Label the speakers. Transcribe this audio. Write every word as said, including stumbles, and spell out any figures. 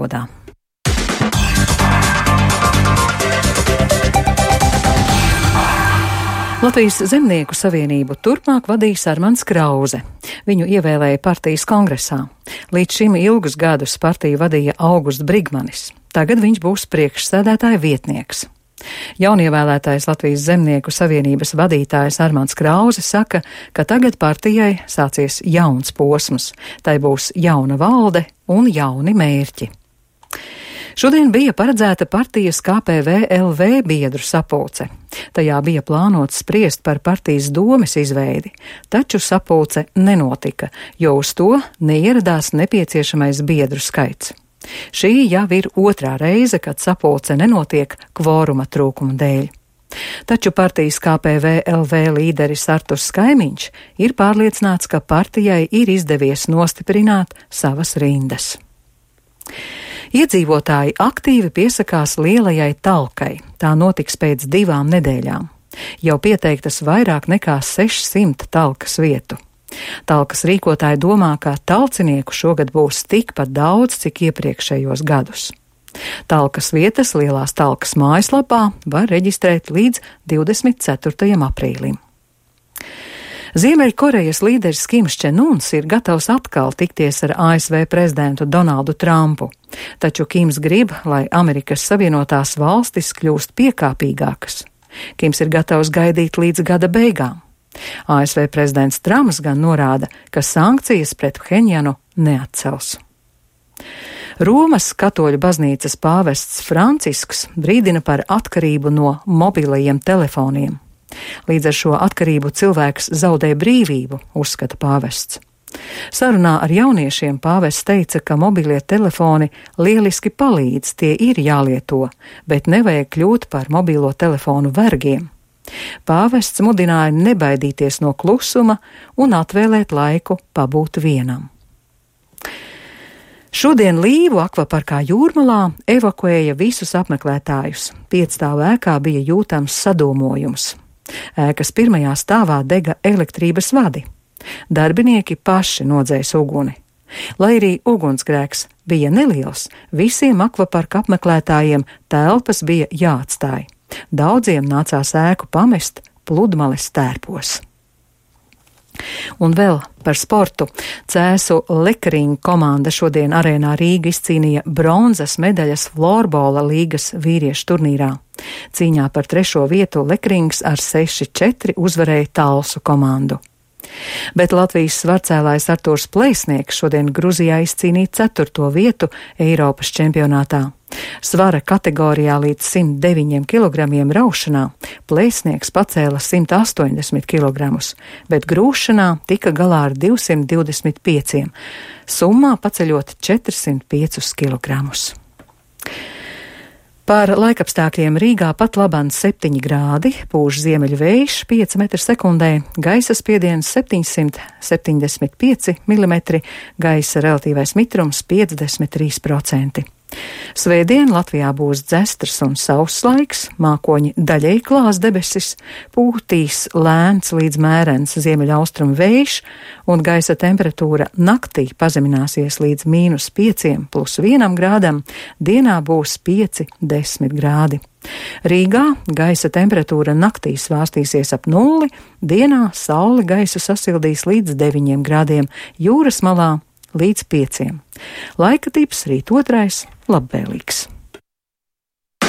Speaker 1: valodā. Latvijas Zemnieku savienību turpmāk vadīs Armands Krauze. Viņu ievēlēja partijas kongresā. Līdz šim ilgus gadus partiju vadīja Augusts Brigmanis. Tagad viņš būs priekšsēdētāja vietnieks. Jaunievēlētais Latvijas Zemnieku savienības vadītājs Armands Krauze saka, ka tagad partijai sācies jauns posms. Tai būs jauna valde un jauni mērķi. Šodien bija paredzēta partijas K P V L V biedru sapulce. Tajā bija plānots spriest par partijas domes izveidi, taču sapulce nenotika, jo uz to neieradās nepieciešamais biedru skaits. Šī jau ir otrā reize, kad sapulce nenotiek kvoruma trūkuma dēļ. Taču partijas K P V L V līderis Arturs Skaimiņš ir pārliecināts, ka partijai ir izdevies nostiprināt savas rindas. Iedzīvotāji aktīvi piesakās lielajai talkai. Tā notiks pēc divām nedēļām. Jau pieteiktas vairāk nekā sešsimt talkas vietu. Talkas rīkotāji domā, ka talcinieku šogad būs tikpat daudz, cik iepriekšējos gadus. Talkas vietas Lielās talkas mājaslapā var reģistrēt līdz divdesmit ceturtajam aprīlim. Ziemeļkorejas līderis Kims Čen Uns ir gatavs atkal tikties ar A S V prezidentu Donaldu Trumpu, taču Kims grib, lai Amerikas Savienotās valstis kļūst piekāpīgākas. Kims ir gatavs gaidīt līdz gada beigām. A S V prezidents Trumps gan norāda, ka sankcijas pret Phenjanu neatcels. Romas katoļu baznīcas pāvests Francisks brīdina par atkarību no mobilajiem telefoniem. Līdz ar šo atkarību cilvēks zaudē brīvību, uzskata pāvests. Sarunā ar jauniešiem pāvests teica, ka mobilie telefoni lieliski palīdz, tie ir jālieto, bet nevajag kļūt par mobilo telefonu vergiem. Pāvests mudināja nebaidīties no klusuma un atvēlēt laiku pabūt vienam. Šodien Līvu akvaparkā Jūrmalā evakuēja visus apmeklētājus. Piecstāvu ēkā bija jūtams sadūmojums. Ēkas pirmajā stāvā dega elektrības vadi. Darbinieki paši nodzēs uguni. Lai arī ugunsgrēks bija neliels, visiem akvaparka apmeklētājiem telpas bija jāatstāj. Daudziem nācās ēku pamest pludmales tērpos. Un vēl par sportu. Cēsu Lekering komanda šodien arēnā Rīga izcīnīja bronzas medaļas florbola līgas vīriešu turnīrā. Cīņā par trešo vietu Lekerings ar seši četri uzvarēja Talsu komandu. Bet Latvijas svarcēlājs Artūrs Plēsnieks šodien Gruzijā izcīnīja ceturto vietu Eiropas čempionātā. Svara kategorijā līdz simt deviņiem kilogramiem raušanā Plēsnieks pacēla simt astoņdesmit kilogramus, bet grūšanā tika galā ar divsimt divdesmit pieciem, summā paceļot četrsimt piecus kilogramus. Par laikapstākļiem Rīgā pat laban septiņi grādi, pūš ziemeļu vējš pieci metri sekundē, gaisa spiediens septiņsimt septiņdesmit pieci milimetri, gaisa relatīvais mitrums piecdesmit trīs procenti. Svētdien Latvijā būs dzestrs un sauss laiks, mākoņi daļēji klās debesis, pūtīs lēns līdz mērens ziemeļaustrumu vējš un gaisa temperatūra naktī pazemināsies līdz mīnus pieciem plus vienam grādam, dienā būs pieci desmit grādi. Rīgā gaisa temperatūra naktī svārstīsies ap nulli, dienā saule gaisu sasildīs līdz deviņiem grādiem, jūras malā līdz pieciem. Laika tips rīt otrais labvēlīgs.